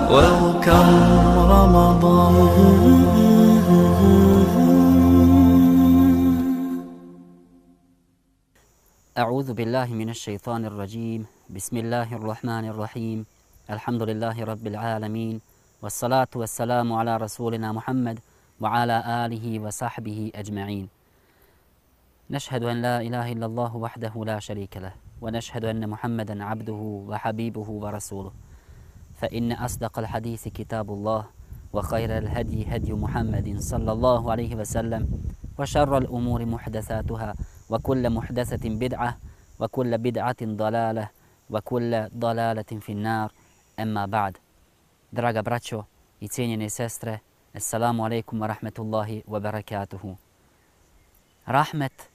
Welcome Ramadan. أعوذ بالله من الشيطان الرجيم بسم الله الرحمن الرحيم الحمد لله رب العالمين والصلاة والسلام على رسولنا محمد وعلى آله وصحبه أجمعين نشهد أن لا إله إلا الله وحده لا شريك له ونشهد أن محمدا عبده وحبيبه ورسوله فإن أصدق الحديث كتاب الله وخير الهدي هدي محمد صلى الله عليه وسلم وشر الأمور محدثاتها وكل محدثة بدعة وكل بدعة ضلالة وكل ضلالة في النار أما بعد. Draga braćo i cijenjene sestre, assalamu alaikum wa rahmetullahi wa barakatuhu. Rahmet,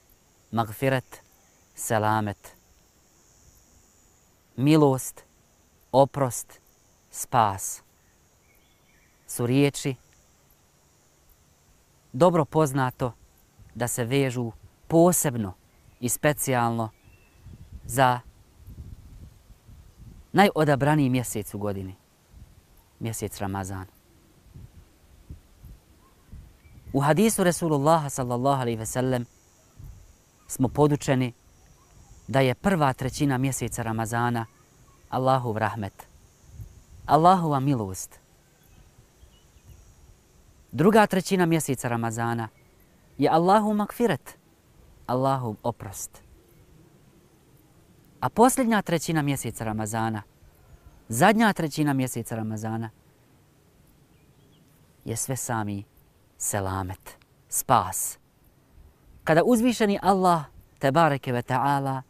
magfiret, selamet, milost, oprost, spas su riječi dobro poznato da se vežu posebno i specijalno za najodabraniji mjesec u godini, mjesec Ramazan. U hadisu Resulullaha sallallahu alaihi ve sellem smo podučeni da je prva trećina mjeseca Ramazana Allahov rahmet, Allahova milost. Druga trećina mjeseca Ramazana je Allahov magfiret, Allahov oprost. A posljednja trećina mjeseca Ramazana, zadnja trećina mjeseca Ramazana je sve sami selamet, spas. Kada uzvišeni Allah, tebareke ve ta'ala,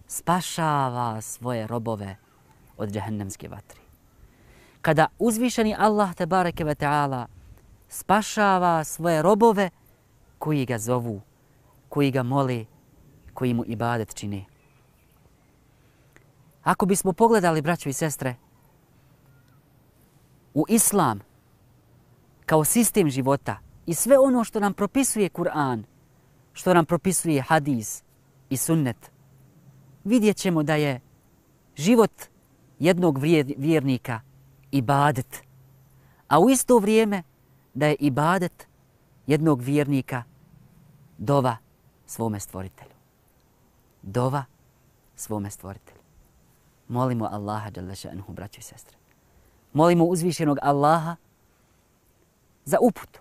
spašava svoje robove od džehennemske vatri. Kada uzvišeni Allah, tebareke ve ta'ala, spašava svoje robove koji ga zovu, koji ga mole, koji mu ibadet čine. Ako bismo pogledali, braćo i sestre, u islam kao sistem života i sve ono što nam propisuje Kur'an, što nam propisuje hadis i sunnet, vidjet ćemo da je život jednog vjernika ibadet, a u isto vrijeme da je ibadet jednog vjernika dova svome stvoritelju. Dova svome stvoritelju. Molimo Allaha dželle šanuhu, braćo i sestre. Molimo uzvišenog Allaha za uputu.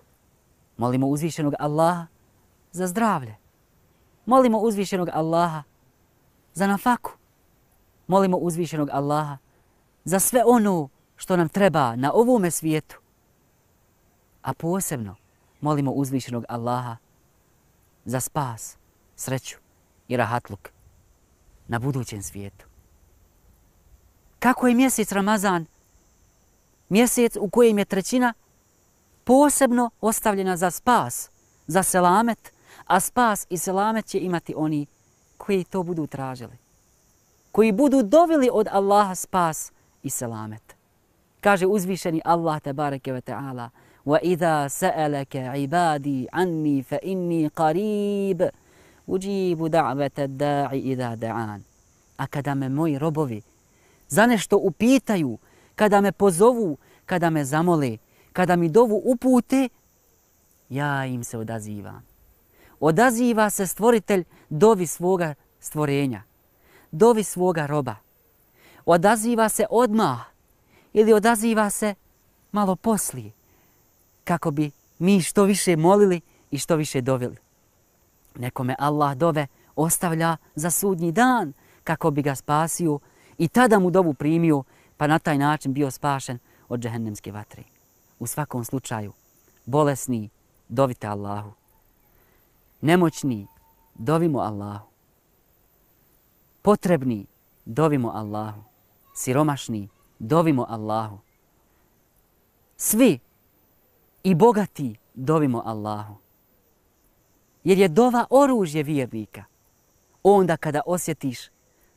Molimo uzvišenog Allaha za zdravlje. Molimo uzvišenog Allaha za nafaku. Molimo uzvišenog Allaha za sve ono što nam treba na ovome svijetu. A posebno molimo uzvišenog Allaha za spas, sreću i rahatluk na budućem svijetu. Kako je mjesec Ramazan mjesec u kojem je trećina posebno ostavljena za spas, za selamet, a spas i selamet će imati oni koji to budu tražili, koji budu dovili od Allaha spas i selamet. Kaže uzvišeni Allah tebareke ve ta'ala: وَإِذَا سَأَلَكَ عِبَادِي عَنِّي فَإِنِّي قَرِيبٌ أُجِيبُ دَعْوَةَ الدَّاعِ إِذَا دَعَانِ. A kada me moji robovi za nešto upitaju, kada me pozovu, kada me zamole, kada mi dovu upute, ja im se odazivam. Odaziva se stvoritelj dovi svoga stvorenja, dovi svoga roba. Odaziva se odmah ili odaziva se malo poslije, kako bi mi što više molili i što više dovili. Nekome Allah dove ostavlja za sudnji dan kako bi ga spasio i tada mu dovu primio, pa na taj način bio spašen od džehennemske vatre. U svakom slučaju, bolesni, dovite Allahu. Nemoćni, dovimo Allahu. Potrebni, dovimo Allahu. Siromašni, dovimo Allahu. Svi i bogati, dovimo Allahu. Jer je dova oružje vjernika. Onda kada osjetiš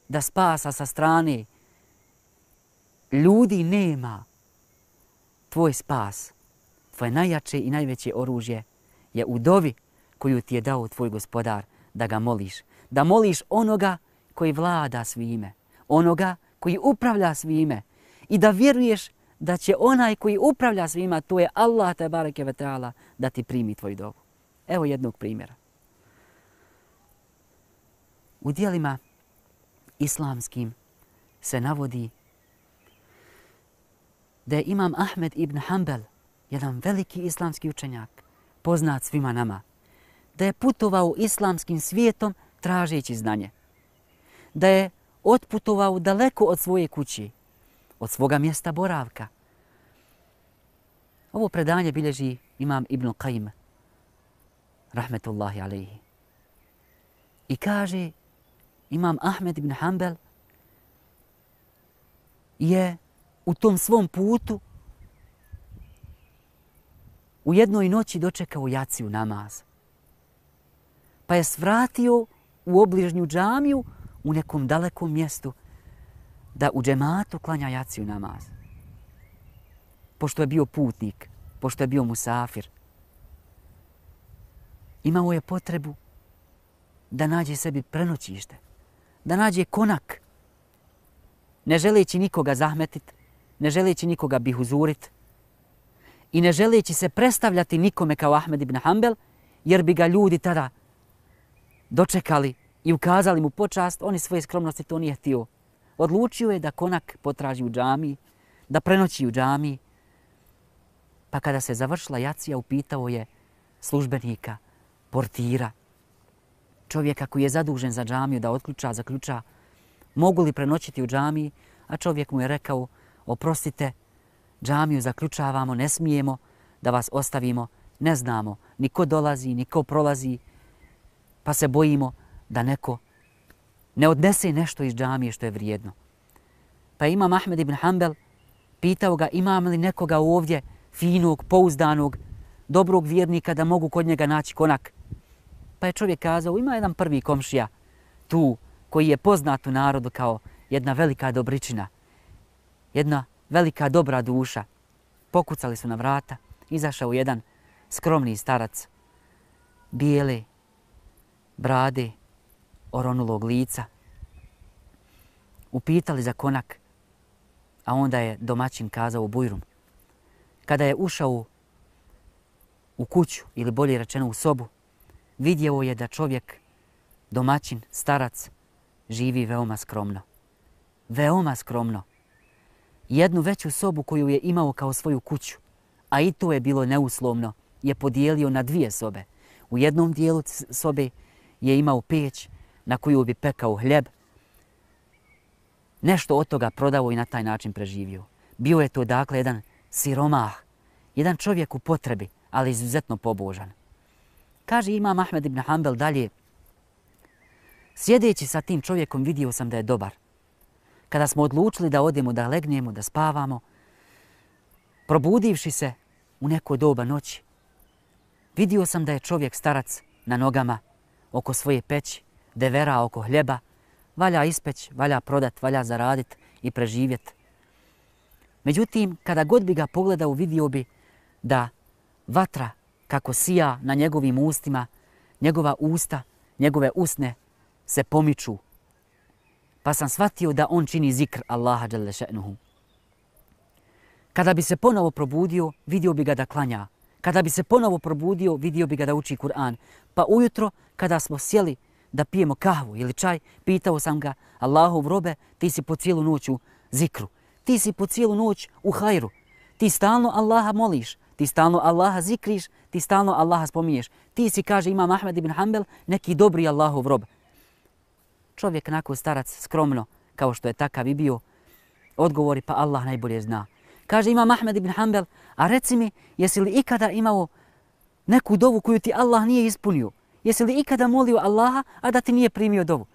da spasa sa strane ljudi nema, tvoj spas, tvoje najjače i najveće oružje je u dovi koju ti je dao tvoj gospodar, da ga moliš. Da moliš onoga koji vlada svime, onoga koji upravlja svime i da vjeruješ da će onaj koji upravlja svima, to je Allah tebareke ve taala, da ti primi tvoju dovu. Evo jednog primjera. U dijelima islamskim se navodi da je imam Ahmed ibn Hanbel, jedan veliki islamski učenjak, poznat svima nama, da je putovao islamskim svijetom tražeći znanje. Da je otputovao daleko od svoje kući, od svoga mjesta boravka. Ovo predanje bilježi imam Ibn Qayyim, rahmetullahi alejhi. I kaže, imam Ahmed ibn Hanbel je u tom svom putu u jednoj noći dočekao jaciju namaz. Pa je svratio u obližnju džamiju u nekom dalekom mjestu da u džematu klanja jaciju namaz. Pošto je bio putnik, pošto je bio musafir, imao je potrebu da nađe sebi prenoćište, da nađe konak, ne želeći nikoga zahmetit, ne želeći nikoga bihuzurit i ne želeći se predstavljati nikome kao Ahmed ibn Hanbel, jer bi ga ljudi tada dočekali i ukazali mu počast, on iz svoje skromnosti to nije htio. Odlučio je da konak potraži u džamiji, da prenoći u džamiji. Pa kada se završila jacija, upitao je službenika, portira, čovjeka koji je zadužen za džamiju da otključa, zaključa, mogu li prenoćiti u džamiji, a čovjek mu je rekao, oprostite, džamiju zaključavamo, ne smijemo da vas ostavimo, ne znamo ni ko dolazi, ni ko prolazi, pa se bojimo da neko ne odnese nešto iz džamije što je vrijedno. Pa imam Ahmed ibn Hanbel pitao ga, imam li nekoga ovdje finog, pouzdanog, dobrog vjernika da mogu kod njega naći konak. Pa je čovjek kazao, ima jedan prvi komšija tu koji je poznat u narodu kao jedna velika dobričina, jedna velika dobra duša. Pokucali su na vrata, izašao jedan skromni starac, bijele brade, oronulog lica. Upitali za konak, a onda je domaćin kazao bujrum. Kada je ušao u kuću, ili bolje rečeno u sobu, vidjeo je da čovjek, domaćin, starac, živi veoma skromno. Veoma skromno. Jednu veću sobu koju je imao kao svoju kuću, a i to je bilo neuslovno, je podijelio na dvije sobe. U jednom dijelu sobe je imao peć na koju bi pekao hljeb. Nešto od toga prodao i na taj način preživio. Bio je to dakle jedan siromah, jedan čovjek u potrebi, ali izuzetno pobožan. Kaže imam Ahmed ibn Hanbel dalje, sjedeći sa tim čovjekom vidio sam da je dobar. Kada smo odlučili da odemo, da legnemo, da spavamo, probudivši se u neko doba noći, vidio sam da je čovjek starac na nogama oko svoje peći, devera oko hljeba, valja ispeć, valja prodat, valja zaradit i preživjet. Međutim, kada god bi ga pogledao, vidio bi da vatra kako sija na njegovim ustima, njegova usta, njegove usne se pomiču. Pa sam shvatio da on čini zikr Allaha dželle še'nuhu. Kada bi se ponovo probudio, vidio bi ga da klanja. Kada bi se ponovo probudio, vidio bi ga da uči Kur'an. Pa ujutro, kada smo sjeli da pijemo kahvu ili čaj, pitao sam ga, Allahov robe, ti si po cijelu noć u zikru. Ti si po cijelu noć u hajru. Ti stalno Allaha moliš. Ti stalno Allaha zikriš. Ti stalno Allaha spominješ. Ti si, kaže imam Ahmed ibn Hanbel, neki dobri Allahov rob. Čovjek nakon starac skromno, kao što je takav i bio, odgovori pa Allah najbolje zna. Kaže imam Ahmed ibn Hanbel, a reci mi, jesi li ikada imao neku dovu koju ti Allah nije ispunio? Jesi li ikada molio Allaha, a da ti nije primio dovu?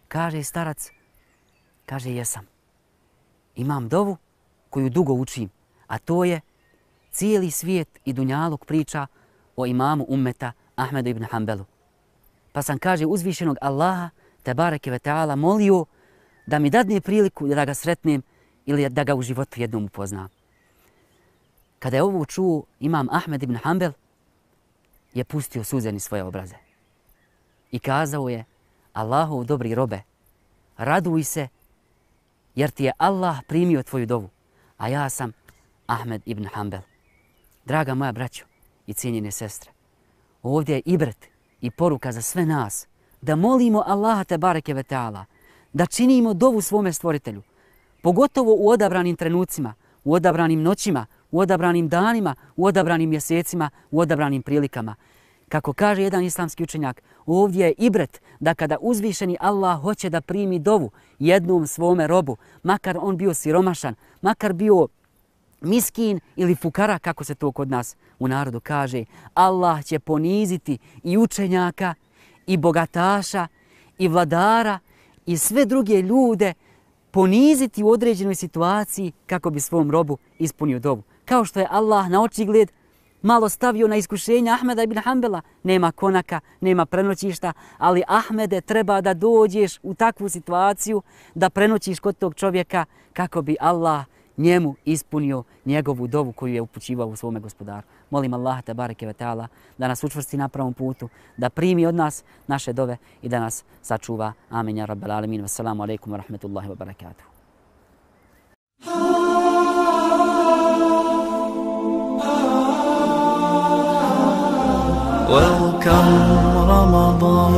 Kaže starac, kaže jesam. Imam dovu koju dugo učim, a to je cijeli svijet i dunjaluk priča o imamu ummeta Ahmedu ibn Hanbelu. Pa sam, kaže, uzvišenog Allaha, tebareke ve taala, molio da mi dadne priliku da ga sretnem ili da ga u životu jednom upoznam. Kada je ovo čuo, imam Ahmed ibn Hanbel je pustio suze niz svoje obraze. I kazao je, Allahov dobri robe, raduj se jer ti je Allah primio tvoju dovu, a ja sam Ahmed ibn Hanbel. Draga moja braćo i cijenjene sestre, ovdje je ibret i poruka za sve nas da molimo Allaha te bareke ve taala, da činimo dovu svome stvoritelju, pogotovo u odabranim trenucima, u odabranim noćima, u odabranim danima, u odabranim mjesecima, u odabranim prilikama. Kako kaže jedan islamski učenjak, ovdje je ibret da kada uzvišeni Allah hoće da primi dovu jednom svome robu, makar on bio siromašan, makar bio miskin ili fukara, kako se to kod nas u narodu kaže, Allah će poniziti i učenjaka, i bogataša, i vladara, i sve druge ljude, poniziti u određenoj situaciji kako bi svom robu ispunio dovu. Kao što je Allah na očigled malo stavio na iskušenje Ahmeda ibn Hanbela. Nema konaka, nema prenoćišta, ali Ahmede, treba da dođeš u takvu situaciju da prenoćiš kod tog čovjeka kako bi Allah njemu ispunio njegovu dovu koju je upućivao u svome gospodaru. Molim Allaha te bareke ve taala da nas učvrsti na pravom putu, da primi od nas naše dove i da nas sačuva. Amin ja rabbal alamin. Wassalamu alaikum wa rahmatullahi wa barakatuh. Welcome Ramadan.